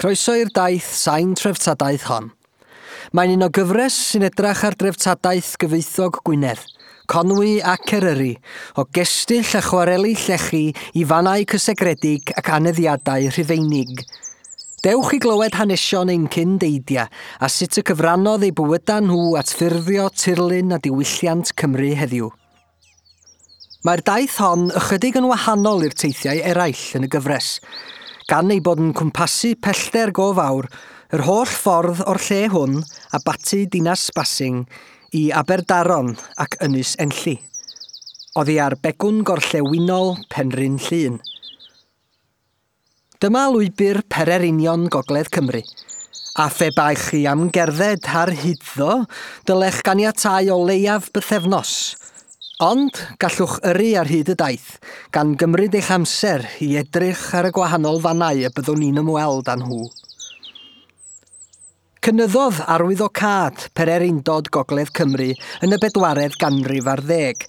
Croeso i'r daith sain treftadaeth hon. Mae'n un o gyfres sy'n edrach ar dreftadaeth gyfoethog Gwynedd, Conwy ac Eryri, o gestyll a chwareli llechi i fannau cysegredig ac aneddiadau Rhufeinig. Dewch i glywed hanesion ein cyn-deidia a sut y cyfrannodd eu bywydau nhw at ffurfio tirlun a diwylliant Cymru heddiw. Mae'r daith hon ychydig yn wahanol i'r teithiau eraill yn y gyfres, gan ei bod yn cwmpasu pellter go fawr, yr holl ffordd o'r lle hwn, Abaty Dinas Basing, i Aberdaron ac Ynys Enlli, oddi ar begwn gorllewinol Penrhyn Llŷn. Dyma lwybr pererinion Gogledd Cymru, a phe baech chi am gerdded ar hyd-ddo, dylech ganiatáu o leiaf bythefnos. Ond gallwch yrru ar hyd y daith, gan gymryd eich amser i edrych ar y gwahanol fannau y byddwn ni'n ymweld â nhw. Cynyddodd arwyddocâd pererindod Gogledd Cymru yn y bedwaredd ganrif ar ddeg,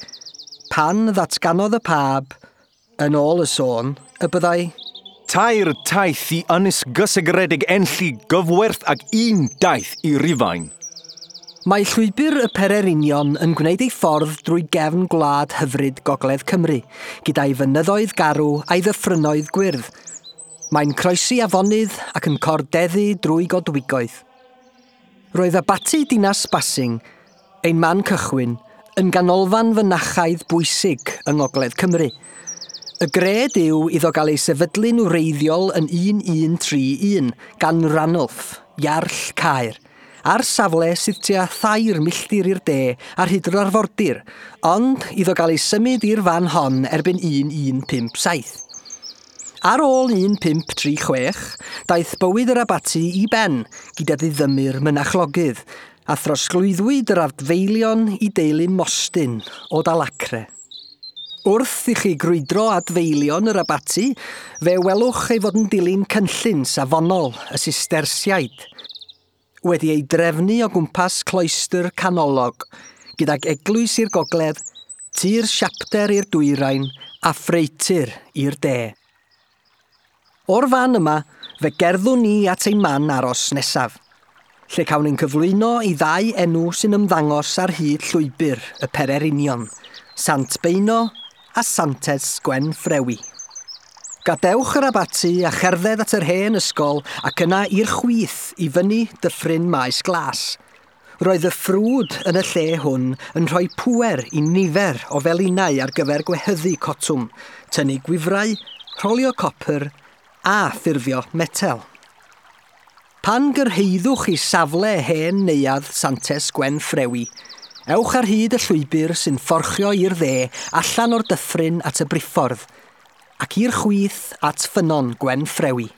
pan ddatganodd y Pab, yn ôl y sôn, y byddai Tair taith i Ynys Gysegredig Enlli gyfwerth ag un daith i Rufain. Mae llwybr y pererinion yn gwneud ei ffordd drwy gefn gwlad hyfryd Gogledd Cymru, gyda'i fynyddoedd garw a'i ddyffrynnoedd gwyrdd. Mae'n croesi afonydd ac yn cordeddu drwy godwigoedd. Roedd abaty Dinas Basing, ein man cychwyn, yn ganolfan fynachaidd bwysig yng Ngogledd Cymru. Y gred yw iddo gael ei sefydlu'n wreiddiol yn 1131 gan Ranulf, Iarll Caer, ar safle sydd tua 3 milltir i'r de ar hyd yr arfordir, ond iddo gael ei symud i'r fan hon erbyn 1157. Ar ôl 1536, daeth bywyd yr abaty i ben gyda ddiddymu'r mynachlogydd, a throsglwyddwyd yr adfeilion i deulu Mostyn o Dalacre. Wrth i chi grwydro adfeilion yr abaty, fe welwch ei fod yn dilyn cynllun safonol y Sistersiaid, wedi ei drefnu o gwmpas cloestr canolog, gydag eglwys i'r gogledd, tŷ'r siapter i'r dwyrain a ffreutur i'r de. O'r fan yma, fe gerddwn ni at ein man aros nesaf, lle cawn ein cyflwyno i ddau enw sy'n ymddangos ar hyd llwybr y pererinion, Sant Beuno a Santes Gwenffrewi. Gadewch yr abaty a cherdded at yr hen ysgol ac yna i'r chwith i fyny dyffryn Maes Glas. Roedd y ffrwd yn y lle hwn yn rhoi pŵer i nifer o felinau ar gyfer gwehyddu cotwm, tynnu gwifrau, rholio copr a ffurfio metel. Pan gyrhaeddwch i safle hen neuadd Santes Gwenffrewi, ewch ar hyd y llwybr sy'n fforchio i'r dde allan o'r dyffryn at y briffordd, ac i'r chwith at ffynnon Gwenffrewi.